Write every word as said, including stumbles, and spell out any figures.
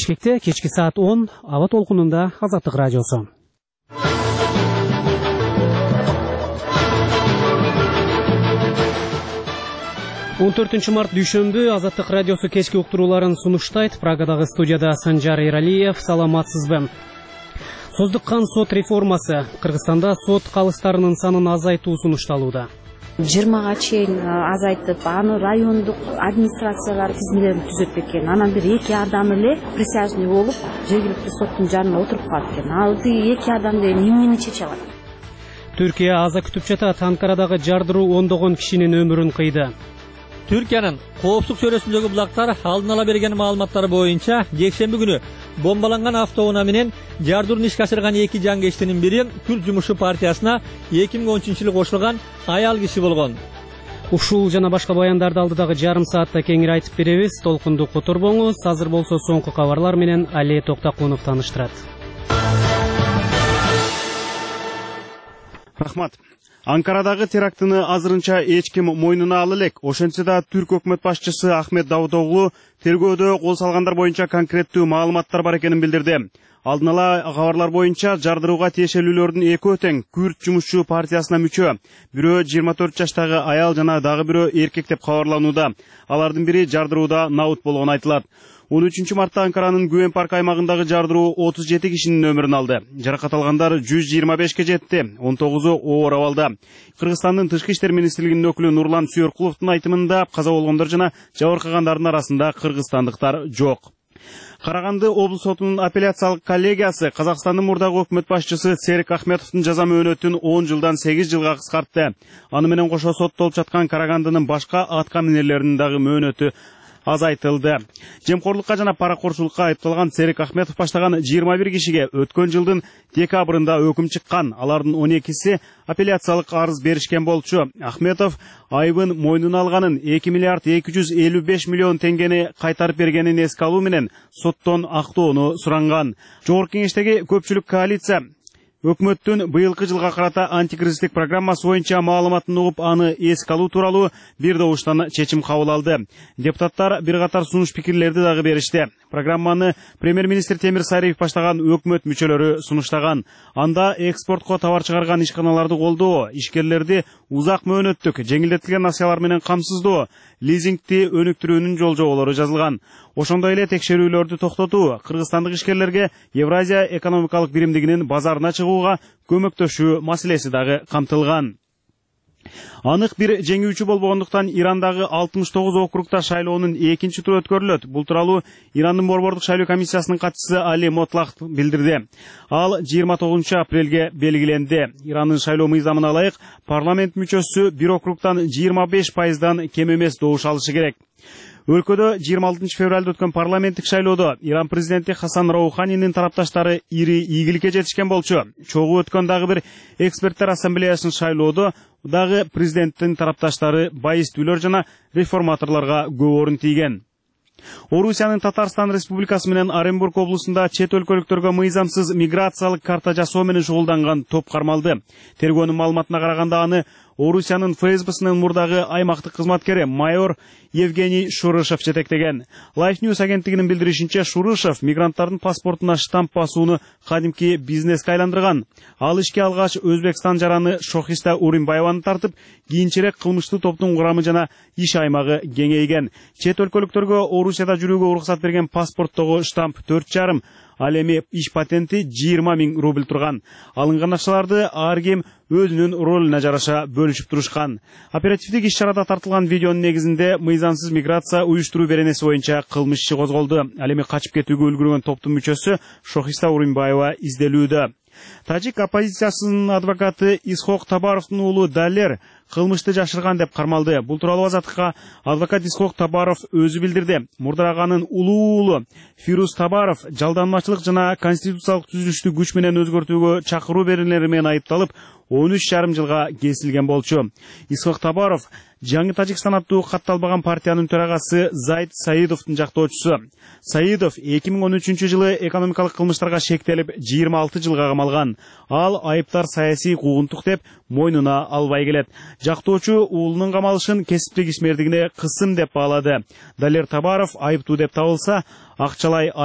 Бишкекте кечки саат он аба толкунунда Азаттык радиосу. он төртүнчү март дүйшөмбү Азаттык радиосу кечки уктурууларын сунуштайт. Прагадагы студияда Санжар Эралиев. Саламатсызбы? Создуккан сот реформасы. Кыргызстанда сот калыстарынын санын азайтуу сунушталууда. жыйырмага чейин азайтып, аны райондук администрациялар тизмелерин түзөт экен. Анан бир эки адам эле присяжный болуп, жергиликтүү соттун жанына отуруп калат экен. Ал эки адам деле эмнени чече алат? Түркия аза күтүп жатат. Анкарадагы жардыруу ондогон кишинин өмүрүн кыйды. Түркиянын коопсуздук чөйрөсүндөгү булактар алдын ала берген маалыматтар боюнча жекшемби күнү бомбаланган автоунаа менен жардырууну ишке ашырган эки жангечтинин бири Күрд жумушчу партиясына эки миң он үчүнчү жылы кошулган аял киши болгон. Ушул жана башка баяндарды алдыдагы жарым саатта кеңири айтып беребиз. Толкунду которбоңуз. Азыр болсо соңку кабарлар менен Али Токтакунов тааныштырат. Рахмат. Анкарадагы терактыны азырынча эч ким мойнуна ала элек. Ошентсе да Түрк өкмөт башчысы Ахмет Давутоглу тергөөдө кол салгандар боюнча конкреттүү маалыматтар бар экенин билдирди. Алдын ала кабарлар боюнча жардырууга тиешелүүлөрдүн экөө тең Күрд жумушчу партиясына мүчө. Бирөө жыйырма төрт жаштагы аял жана дагы бирөө эркек деп кабарланууда. Алардын бири жардырууда наут болгону айтылат. он үчүнчү мартта Анкаранын Гүвен парк аймагындагы жардыруу отуз жети кишинин өмүрүн алды. Жаракат алгандар жүз жыйырма бешке жетти, он тогузу оор абалда. Кыргызстандын Тышкы иштер министрлигинин өкүлү Нурлан Сүйөркуловдун айтымында каза болгондор жана жабыркагандардын арасында кыргызстандыктар жок. Караганды облус сотунун апелляциялык коллегиясы Казакстандын мурдагы өкмөт башчысы Серик Ахметовдун жаза мөөнөтүн он жылдан сегиз жылга кыскартты. Аны менен кошо соттолуп жаткан Карагандынын башка атка минерлеринин дагы мөөнөтү азайтылды. Жемкорлукка жана паракорчулукка айыпталган Серик Ахметов баштаган жыйырма бир кишиге өткөн жылдын декабрында өкүм чыккан. Алардын он экиси апелляциялык арыз беришкен болчу. Ахметов айыбын мойнуна алганын, эки миллиард эки жүз элүү беш миллион теңгени кайтарып бергенин эске алуу менен соттон актоону суранган. Жогорку кеңештеги көпчүлүк коалиция өкмөттүн быйылкы жылга карата антикризистик программасы боюнча маалыматын угуп, аны эске алуу тууралуу бир добуштан чечим кабыл алды. Депутаттар бир катар сунуш пикирлерди дагы беришти. Программаны премьер-министр Темир Сайриев баштаган өкмөт мүчөлөрү сунуштаган. Анда экспортко товар чыгарган ишканаларды колдоо, ишкерлерди узак мөөнөттүк жеңилдетилген акциялар менен камсыздоо, лизингти өнүктүрүүнүн жолжоболору жазылган. Ошондой эле текшерүүлөрдү токтотуу, кыргызстандык ишкерлерге Евразия экономикалык биримдигинин базарына чыгууга көмөктөшүү маселеси дагы камтылган. Анык бир жеңүүчү болбогондуктан Ирандагы алтымыш тогуз округда шайлоонун экинчи туру өткөрүлөт. Бул тууралуу Ирандын борбордук шайлоо комиссиясынын катчысы Али Мотлах билдирди. Ал жыйырма тогузунчу апрелге белгиленди. Ирандын шайлоо мыйзамына ылайык парламент мүчөсү бир округдан жыйырма беш пайыздан кем эмес добуш алышы керек. Өлкөдө жыйырма алтынчы февралда өткөн парламенттик шайлоодо Иран президенти Хасан Роуханинин тарапташтары ири ийгиликке жетишкен болчу. Чогуу өткөн дагы бир эксперттер ассамблеясынын шайлоодо дагы президенттин тарапташтары байыстүүлөр жана реформаторлорго көп орун тийген. Орусиянын Татарстан Республикасы менен Оренбург облусунда чет өлкөлүктөргө мыйзамсыз миграциялык карта жасоо менен шугулданган топ кармалды. Тергөөнүн маалыматына караганда аны Орусиянын эф эс бсынын мурдагы аймактык кызматкери майор Евгений Шурышев жетектеген. Life News агенттигинин билдиришинче, Шурышев мигранттардын паспортуна штамп басууну кадимки бизнеске айландырган. Ал ишке алгач Өзбекстан жараны Шохиста Уримбаеваны тартып, кийинчерээк кылмыштуу топтун курамы жана иш аймагы кеңейген. Чет өлкөлүктөргө Орусияда жүрүүгө уруксат берген паспорттогу штамп төрт жарым, ал эми иш патенти жыйырма миң рубль турган. Алынган акчаларды ар ким өзүнүн ролуна жараша бөлүшүп турушкан. Оперативдик иш-чарада тартылган видеонун негизинде мыйзамсыз миграция уюштуруу беренеси боюнча кылмыш иши козголду. Ал эми качып кетүүгө үлгүргөн топтун мүчөсү Шохиста Уримбаева изделүүдө. Тажик оппозициясынын адвокаты Исхок Табаровдун уулу Далер кылмышты жашырган деп кармалды. Бул тууралуу Азаттыкка адвокат Исхок Табаров өзү билдирди. Мурдараганын улуу уулу Фирус Табаров жалданмачылык жана конституциялык түзүлүштү күч менен өзгөртүүгө чакыруу берүүлери менен айыпталып, он үч жарым жылга кесилген болчу. Исхок Табаров Жаңы Тажикстан аттуу катталбаган партиянын төрагасы Зайд Саидовдун жактоочусу. Саидов эки миң он үчүнчү жылы экономикалык кылмыштарга шектелип жыйырма алты жылга камалган. Ал айыптар саясий куугунтук деп мойнуна албай келет. Жактоочу уулунун камалышын кесиптик ишмердигине кысым деп баалады. Далер Табаров айыптуу деп табылса, акчалай айып